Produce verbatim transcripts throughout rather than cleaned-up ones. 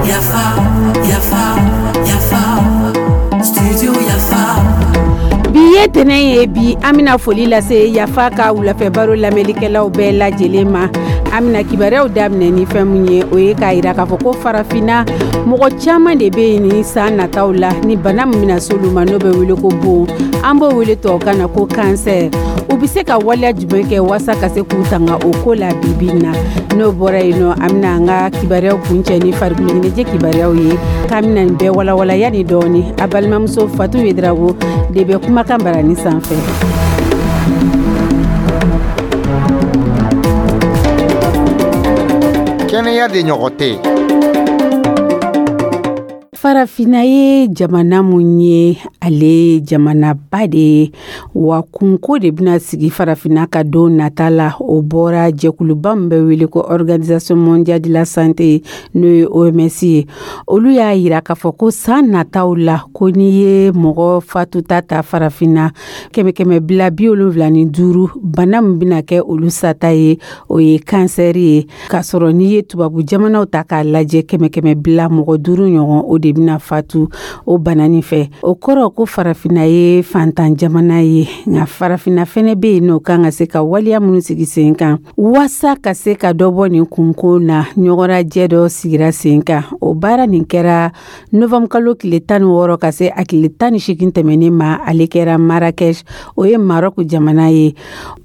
Yafa, Yafa, Yafa, Studio Yafa. Bi ye tɛnɛ ye. Bi an bɛna foli lase Yafa ka wulafɛ baro lamɛnlikɛlaw bɛɛ lajɛlen ma. An bɛna kibaruyaw daminɛ ni fɛn mun ye, o ye k'a yira k'a fɔ ko Farafinna mɔgɔ caman de bɛ yen ni san nataw la, ni bana min bɛna s'olu ma, n'o bɛ wele ko bon, an b'o wele tubabukan na ko kansɛri. U bɛ se ka waleya jumɛn kɛ walasa ka se k'u tanga o ko la bibi in na? N'o bɔra yen nɔ, an bɛna an ka kibaruyaw kuncɛ ni farikolo ɲɛnajɛ kibaruyaw ye. K'an bɛna nin bɛɛ walawala yanni dɔɔni, a balimamuso Fatu Yedrago de bɛ kumakan barani sanfɛ. Kɛnɛya de ɲɔgɔn tɛ. Farafinna ye jamana mun ye, ale jamanaba de ye wa kunko de bɛna sigi Farafinna ka don nata la. O bɔra jɛkuluba min bɛ wele ko Organisation mondiale de la santé, n'o ye O M S ye. Olu y'a yira k'a fɔ ko san nataw la, ko n'i ye mɔgɔ fatuta ta Farafinna, kɛmɛ kɛmɛ bila bi wolonwula ni duuru, bana min bɛna kɛ olu sata ye, o ye kansɛri ye. K'a sɔrɔ n'i ye tubabu jamanaw ta k'a lajɛ, kɛmɛ kɛmɛ bila mɔgɔ duuru ɲɔgɔn, o de bɛna fatu o bana nin fɛ. O kɔrɔ ko Farafinna ye fantan jamana ye, nka Farafinna fɛnɛ bɛ yen n'o kan ka se ka waleya minnu sigi sen kan waasa ka se ka dɔ bɔ nin kunko na. Ɲɔgɔnrajɛ dɔ sigira sen kan. O baara nin kɛra novembre kalo tile tan ni wɔɔrɔ ka se a tile tan ni seegin tɛmɛnen ma. Ale kɛra Marrakech, o ye Maroc jamana ye.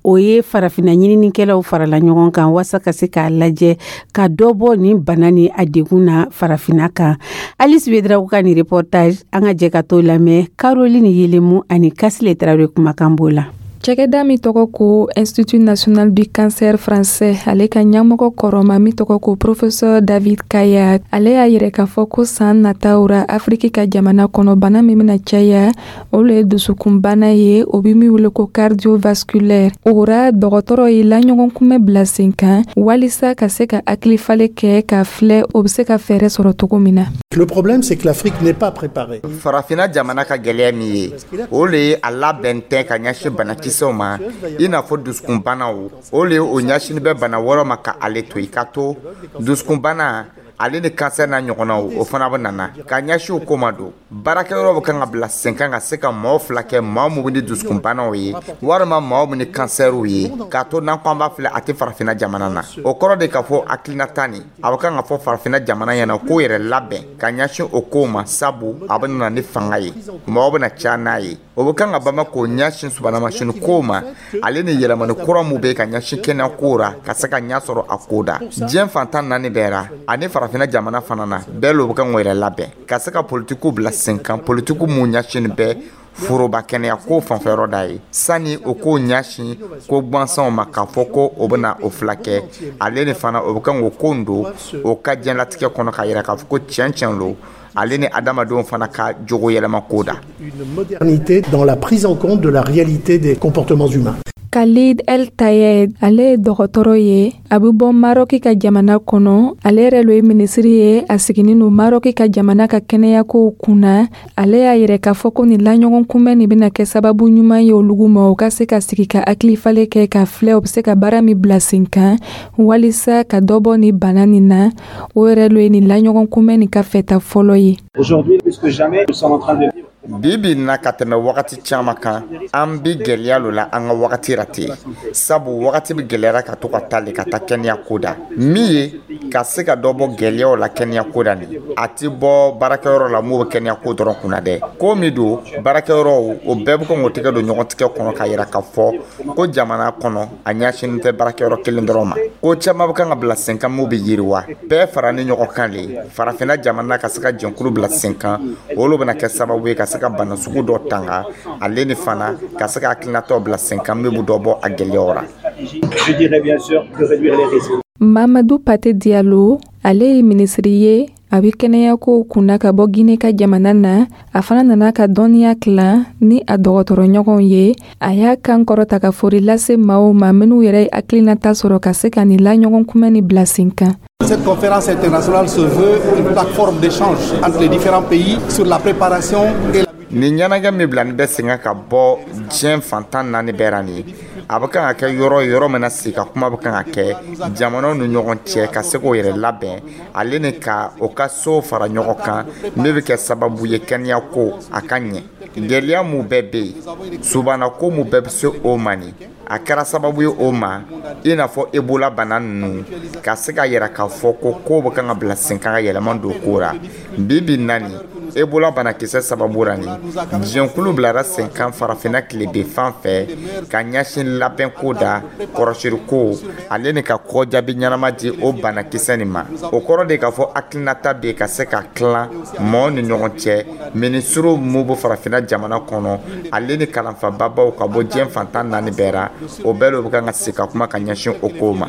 O ye Farafinna ɲininikɛlaw farala ɲɔgɔn kan waasa ka se k'a lajɛ ka dɔ bɔ nin bana ni a degun na Farafinna kan. Alice Wedrago ka nin reportage, an ka jɛ ka t'o lamɛn. Caroline Yelemu ani Kasile Tarawele kumakan b'o la. Cɛkɛda min tɔgɔ ko Institut national du cancer français, ale ka ɲɛmɔgɔ kɔrɔma min tɔgɔ ko professeur David Kaya, ale y'a yɛrɛ k'a fɔ ko san nataw ra, Afiriki ka jamana kɔnɔ, bana min bɛna caya, o le ye dusukunbana ye, o bɛ min wele ko cardiovasculaire. O ra, dɔgɔtɔrɔ ye laɲɔgɔn kunbɛ bila sen kan walisa ka se ka hakilifale kɛ ka filɛ o bɛ se ka fɛɛrɛ sɔrɔ cogo min na. Le problème, c'est que l'Afrique n'est pas préparée. Farafinna jamana ka gɛlɛya min ye, o le ye a labɛn tɛ ka ɲɛsin banakisɛw ma, i n'a fɔ dusukunbanaw. O le ye o ɲɛsini bɛ bana wɛrɛw ma ka ale to i ka to dusukunbana ale ni kansɛri n'a ɲɔgɔnnaw, o fana bɛ nana ka ɲɛsin o ko ma. Don baarakɛyɔrɔ bɛ kan ka bila sen kan ka se ka maaw fila kɛ, maa mun ni dusukunbanaw ye walima maaw min ni kansɛriw ye, k'a to n'an ko an b'a filɛ, a tɛ Farafinna jamana na. O kɔrɔ de k'a fɔ hakilinata nin, a bɛ kan ka fɔ Farafinna jamana ɲɛna k'o yɛrɛ labɛn ka ɲɛsin o kow ma, sabu a bɛ na ni fanga ye, mɔgɔw bɛna caya n'a ye. O bɛ kan ka bama k'o ɲɛsin subahanamasini kow ma, ale ni yɛlɛmani kura mun bɛ ka ɲɛsin kɛnɛya kow ra, ka se ka ɲɛ sɔrɔ a ko da diɲɛ fantan naani bɛɛ ra ani Farafinna jamana fana na. Bɛɛ lo bɛ kan k'o yɛrɛ labɛn ka se ka politikiw bila sen kan, politikiw mun ɲɛsin bɛɛ foroba kɛnɛya ko fanfɛyɔrɔ da ye, sani o k'o ɲɛsin ko gansanw ma, k'a fɔ ko o bɛna o fila kɛ. Ale ni fana o bɛ kan k'o ko don o ka diɲɛlatigɛ kɔnɔ, k'a yira k'a fɔ ko tiɲɛ tiɲɛ lo, ale ni adamadenw fana ka jogo yɛlɛma ko da. Une modernité dans la prise en compte de la réalité des comportements humains. Khalid El Tayed, ale ye dɔgɔtɔrɔ ye, a bɛ bɔ Marɔki ka jamana kɔnɔ. Ale yɛrɛ lo ye minisiri ye, a siginin no Marɔki ka jamana ka kɛnɛyakow kunna. Ale y'a yɛrɛ k'a fɔ ko nin laɲɔgɔn kunbɛn nin bɛna kɛ sababu ɲuman ye olugu ma, u ka se ka sigi ka hakilifale kɛ ka filɛ u bɛ se ka baara min bila sen kan walisa ka dɔ bɔ nin bana nin na. O yɛrɛ lo ye nin laɲɔgɔn kunbɛn nin ka fɛta fɔlɔ ye. Aujourd'hui, plus que jamais, nous sommes en train de vivre Bi bi in na, ka tɛmɛ wagati caman kan, an bi gɛlɛya lo la an ka wagati ra ten, sabu wagati bi gɛlɛyara ka to ka taa le ka taa kɛnɛya ko da. Min ye ka se ka dɔ bɔ gɛlɛyaw la kɛnɛya ko da nin, a ti bɔ baarakɛyɔrɔ la mun bɛ kɛnɛya ko dɔrɔn kunna dɛ. Ko min don, baarakɛyɔrɔw o bɛɛ bɛ kɔn k'o tɛgɛ don ɲɔgɔn tigɛ kɔnɔ, k'a yira k'a fɔ ko jamana kɔnɔ, a ɲɛsinnen tɛ baarakɛyɔrɔ kelen dɔrɔn ma. Ko caman bɛ kan ka bila sen kan mun bɛ yiriwa, bɛɛ fara ni ɲɔgɔn kan le. Farafinna jamana ka se ka jɛnkulu bila sen kan, olu bɛna kɛ sababu ye ka se ka bana sugu dɔ tanga, ale ni fana ka se ka hakilinataw bila sen kan min bɛ dɔ bɔ a gɛlɛyaw ra. Je dirais bien sûr de réduire les risques. Mamadu Pate Diallo, ale ye minisiri ye, a bɛ kɛnɛyakow kunna ka bɔ Gine ka jamana na. A fana nana ka dɔnniya tilan ni a dɔgɔtɔrɔɲɔgɔnw ye. A y'a kan kɔrɔta ka fori lase maaw ma minnu yɛrɛ ye hakilinata sɔrɔ ka se ka nin laɲɔgɔn kunbɛn ni bila sen kan. Cette conférence internationale se veut une plateforme d'échange entre les différents pays sur la préparation et la Nin ɲɛnajɛ min bila nin bɛ sen kan ka bɔ diɲɛ fantan naani bɛɛ ra nin, a bɛ kan ka kɛ yɔrɔ yɔrɔ min na, sigi ka kuma bɛ kan ka kɛ jamanaw ni ɲɔgɔn cɛ ka se k'o yɛrɛ labɛn, ale ni ka o ka sow fara ɲɔgɔn kan, min bɛ kɛ sababu ye kɛnɛya ko a ka ɲɛ. Gɛlɛya mun bɛɛ bɛ yen, subana ko mun bɛɛ bɛ se o ma nin, a kɛra sababu ye o ma, i n'a fɔ Ebola bana ninnu, ka se ka yira k'a fɔ ko kow bɛ kan ka bila sen kan ka yɛlɛma don ko ra. Bi bi na nin, Ebola banakisɛ sababu ra nin, diɲɛkulu bilara sen kan farafinna tilebin fan fɛ ka ɲɛsin labɛnko da kɔrɔsiriko, ale ni ka kɔjaabi ɲɛnama di o banakisɛ nin ma. O kɔrɔ de k'a fɔ hakilinata bɛ yen ka se ka tilan mɔɔw ni ɲɔgɔn cɛ, minisiriw mun bɛ farafinna jamana kɔnɔ, ale ni kalanfababaw ka bɔ diɲɛ fantan naani bɛɛ ra, o bɛɛ de bɛ kan ka sigi ka kuma ka ɲɛsin o kow ma.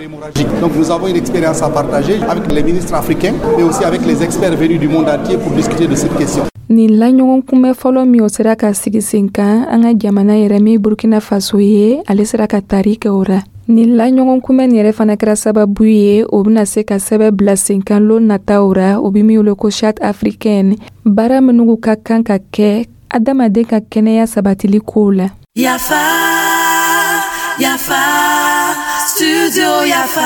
Donc nous avons une expérience à partager avec les ministres africains, mais aussi avec les experts venus du monde entier pour discuter de cette question. Nin laɲɔgɔn kunbɛ fɔlɔ min, o sera ka sigi sen kan an ka jamana yɛrɛ min Burkina Faso ye, ale sera ka tari kɛ o ra. Nin laɲɔgɔn kunbɛ nin yɛrɛ fana kɛra sababu ye, o bɛna se ka sɛbɛn bila sen kan lon nataw ra, o bɛ min wele ko Charte africaine, baara minnu ka kan ka kɛ adamaden ka kɛnɛya sabatili kow la. Yafa, Yafa, Studio Yafa.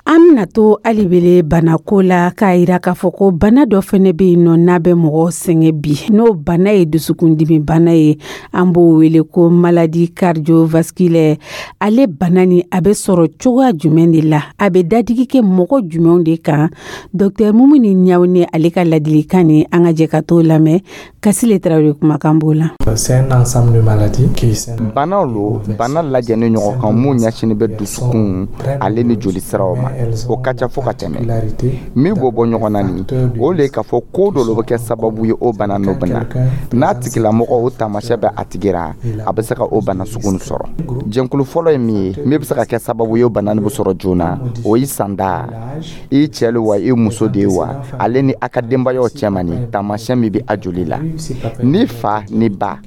An bɛna to alibele banako la, k'a yira k'a fɔ ko bana dɔ fɛnɛ bɛ yen nɔ n'a bɛ mɔgɔ sɛgɛn bi, n'o bana ye dusukundimi bana ye, an b'o wele ko maladie cardiovasculaire. Ale bana ni a bɛ sɔrɔ cogoya jumɛn de la? A bɛ dadigi kɛ mɔgɔ jumɛnw de kan? Docteur Mumuni Ɲawune, ale ka ladilikan ni an ka jɛ ka t'o lamɛn. Kasile Tarawele kumakan b'o la. C'est un ensemble de maladies qui Banaw lo, bana lajɛlen ɲɔgɔn kan mun ɲɛsinin bɛ dusukun ale ni joli siraw ma. O ka ca fo ka tɛmɛ. Min b'o bɔ ɲɔgɔn na nin, o le k'a fɔ ko dɔ bɛ kɛ sababu ye o bana n'o bana n'a tigilamɔgɔ o taamasiyɛn bɛ a tigi ra, a bɛ se ka o bana sugu nin sɔrɔ. Jɛnkulu fɔlɔ ye min ye min bɛ se ka kɛ sababu ye o bana nin bɛ sɔrɔ joona, o y'i sanda, i cɛ lo wa, i muso de ye wa, ale ni a ka denbayaw cɛma nin, taamasiyɛn min bɛ a joli la, ni fa ni ba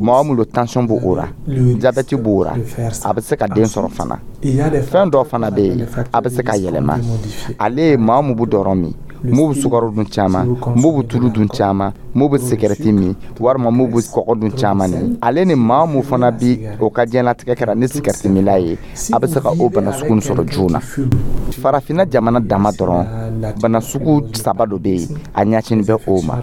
mɔgɔ min lo, tension b'o o ra, diabète b'o ra, a bɛ se ka den sɔrɔ fana. Fɛn dɔ fana bɛ yen, a bɛ se ka yɛlɛma, ale ye maa mun bɛ dɔrɔn min, mun bɛ sukaro dun caman, mun bɛ tulu dun caman, mun bɛ sigɛrɛti min, walima mun bɛ kɔgɔ dun caman ni ale ni maa mun fana bi o ka diɲɛlatigɛ kɛra ni sigɛrɛti minla ye, a bɛ se ka o bana sugu sɔrɔ joona. Farafinna jamana dama dɔrɔn, bana sugu saba dɔ bɛ yen, a ɲɛsinin bɛ o ma.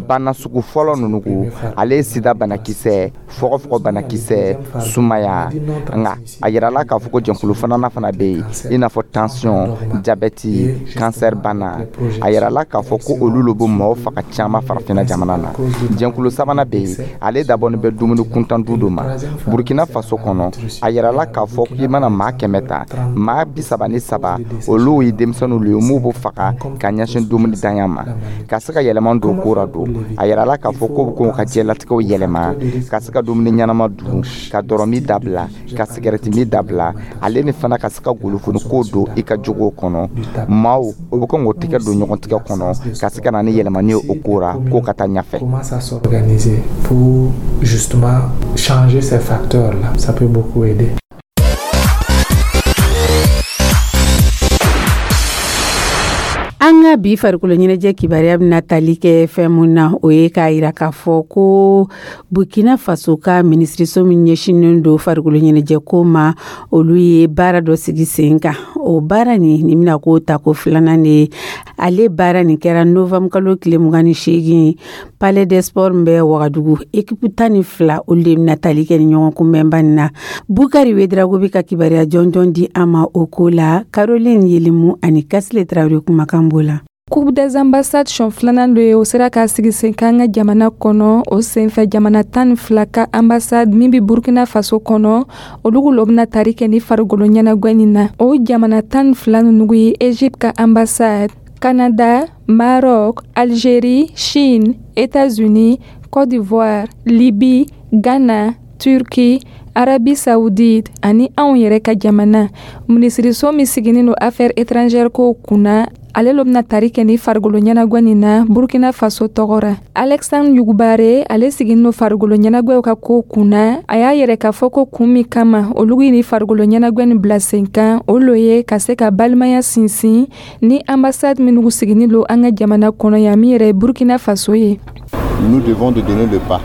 Bana sugu fɔlɔ ninnu ko, ale ye sida banakisɛ, fɔgɔfɔgɔ banakisɛ, sumaya. Nka a yirala k'a fɔ ko jɛnkulu filanan fana bɛ yen, i n'a fɔ tension, diabète, cancer bana. A yirala k'a fɔ ko olu lo bɛ mɔgɔw faga caman farafinna jamana na. Jɛnkulu sabanan bɛ yen, ale dabɔnin bɛ dumuni kuntan du dɔ ma. Burukina Faso kɔnɔ, a yirala k'a fɔ k'i mana maa kɛmɛ ta, maa bi saba ni saba olu ye denmisɛnninw ye mun b'o faga ka ɲɛsin dumuni danya ma. Ka se ka yɛlɛma don ko ra don, a yirala k'a fɔ ko bɛ k'u ka diɲɛlatigɛw yɛlɛma, ka se ka dumuni ɲɛnama dun, ka dɔrɔmi dabila, ka sigɛrɛti min dabila, ale ni fana ka se ka golofoni ko don i ka jogow kɔnɔ. Maaw o bɛ kɔn k'o tigɛ don ɲɔgɔn tigɛ kɔnɔ, ka se ka na ni yɛlɛmani ye o ko ra, k'o ka taa ɲɛfɛ. Commence à s'organiser pour justement changer ces facteurs-là. Ça peut beaucoup aider. An ka bi farikolo ɲɛnajɛ kibaruya bɛna tali kɛ fɛn mun na, o ye k'a yira k'a fɔ ko Burkina Faso ka minisiriso min ɲɛsinnen don farikolo ɲɛnajɛ ko ma, olu ye baara dɔ sigi sen kan. O baara nin nin bɛna ko ta ko filanan de ye. Ale baara nin kɛra novembre kalo tile mugan ni seegin, Palais des Sports min bɛ Wagadugu. Équipe tan ni fila, olu de bɛna tali kɛ ni ɲɔgɔn kunbɛnba nin na. Bukari Wedrago bɛ ka kibaruya jɔnjɔn di an ma o ko la. Caroline Yelimu ani Kasile Tarawele kumakan b'o la. Coupe des ambassades siɲɛ filanan do ye, o sera k'a sigi sen kan an ka jamana kɔnɔ. O senfɛ, jamana tan ni fila ka ambassade min bɛ Burkina Faso kɔnɔ, olu lo bɛna tari kɛ ni farikolo ɲɛnagwɛ nin na. O jamana tan ni fila ninnu ye Egypte ka ambassade, Canada, Maroc, Algérie, Chine, États-Unis, Côte d'Ivoire, Libye, Ghana, Turquie, Arabie Saoudite ani anw yɛrɛ ka jamana. Minisiriso min siginin don affaires étrangères kow kunna, ale lo bɛna tari kɛ ni farikolo ɲɛnagwɛ nin na Burkina Faso tɔgɔ ra. Alexandre Yugubare, ale siginin don farikolo ɲɛnagwɛw ka ko kunna, a y'a yɛrɛ k'a fɔ ko kun min kama olu ye ni farikolo ɲɛnagwɛ nin bila sen kan, o lo ye ka se ka balimaya sinsin ni ambassade minnu siginin don an ka jamana kɔnɔ yan, min yɛrɛ ye Burkina Faso ye. Nous devons de donner le pas.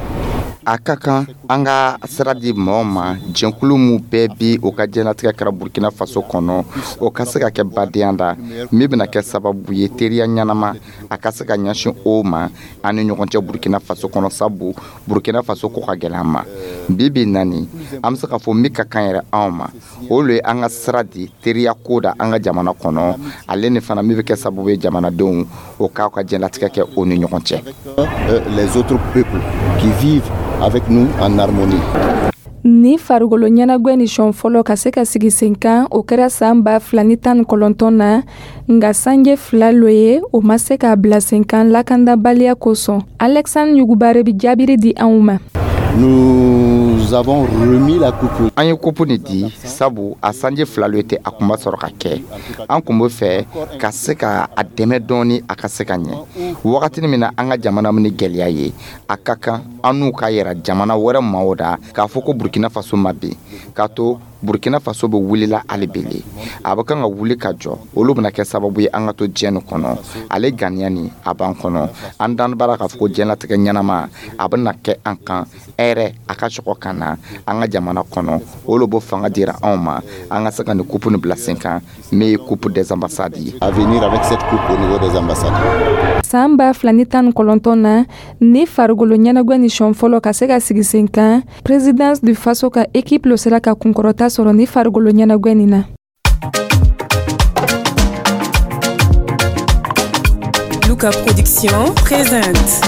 A ka kan an ka sira di mɔgɔw ma, jɛnkulu min bɛɛ bi o ka diɲɛlatigɛ kɛra Burkina Faso kɔnɔ, o ka se ka kɛ badenya da min bɛna kɛ sababu ye teriya ɲɛnama a ka se ka ɲɛsin o ma an ni ɲɔgɔn cɛ Burkina Faso kɔnɔ, sabu Burkina Faso ko ka gɛlɛn an ma bi bi nani. An bɛ se k'a fɔ min ka kan yɛrɛ anw ma, o le ye an ka sira di teriya ko da an ka jamana kɔnɔ, ale ni fana min bɛ kɛ sababu ye jamanadenw o k'aw ka diɲɛlatigɛ kɛ o ni ɲɔgɔn cɛ. Les autres peuples qui vivent avec nous en harmonie. Ni farikolo ɲɛnagwɛ ni sɔn fɔlɔ ka se ka sigi sen kan, o kɛra saan ba fila ni tan ni kɔnɔntɔn na, nga sanje fila lo ye o ma se k'a bila sen kan lakandabaliya kosɔn. Alexandre Yugubare bi jaabiri di anw ma. Nous avons remis la coupe. An ye coupe nin di sabu a sanji fila lo tɛ a kun ma sɔrɔ ka kɛ. An kun bɛ fɛ ka se ka a dɛmɛ dɔɔni a ka se ka ɲɛ wagatini min na an ka jamana min ni gɛlɛya ye. A ka kan an n'u ka yɛrɛ jamana wɛrɛ maaw da k'a fɔ ko Burkina Faso ma bin, k'a to Burkina Faso bɛ wulila hali bele, a bɛ kan ka wuli ka jɔ. Olu bɛna kɛ sababu ye an ka to diɲɛ nin kɔnɔ. Ale ganiya nin a b'an kɔnɔ, an dan bara k'a fɔ ko diɲɛlatigɛ ɲɛnama a bɛna kɛ an kan hɛrɛ a ka sɔgɔ ka na an ka jamana kɔnɔ. Olu b'o fanga dira anw ma an ka se ka nin coupe nin bila sen kan, min ye Coupe des ambassades ye. À venir avec cette coupe au niveau des ambassades. Saan ba fila ni tan ni kɔnɔntɔn na, ni farikolo ɲɛnagwɛ ni sɔn fɔlɔ ka se ka sigi sen kan, Présidence du Faso ka équipe lo sera ka kunkɔrɔta sɔrɔ ni farikolo ɲɛnagwɛ nin na. Luka Production présente.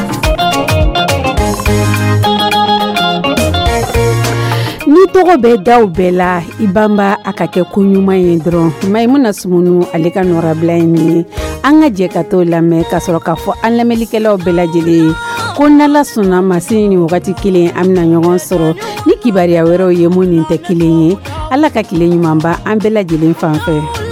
Ni tɔgɔ bɛ daw bɛɛ la, i banba a ka kɛ ko ɲuman ye dɔrɔn. Maimuna Sumunu, ale ka nɔrabila ye nin ye. An ka jɛ ka t'o lamɛn ka sɔrɔ k'a fɔ an lamɛnlikɛlaw bɛɛ lajɛlen ye ko n'Ala sɔnna ma, sini ni wagati kelen an bɛna ɲɔgɔn sɔrɔ ni kibaruya wɛrɛw ye mun nin tɛ kelen ye. Ala ka tile ɲumanba an bɛɛ lajɛlen fan fɛ.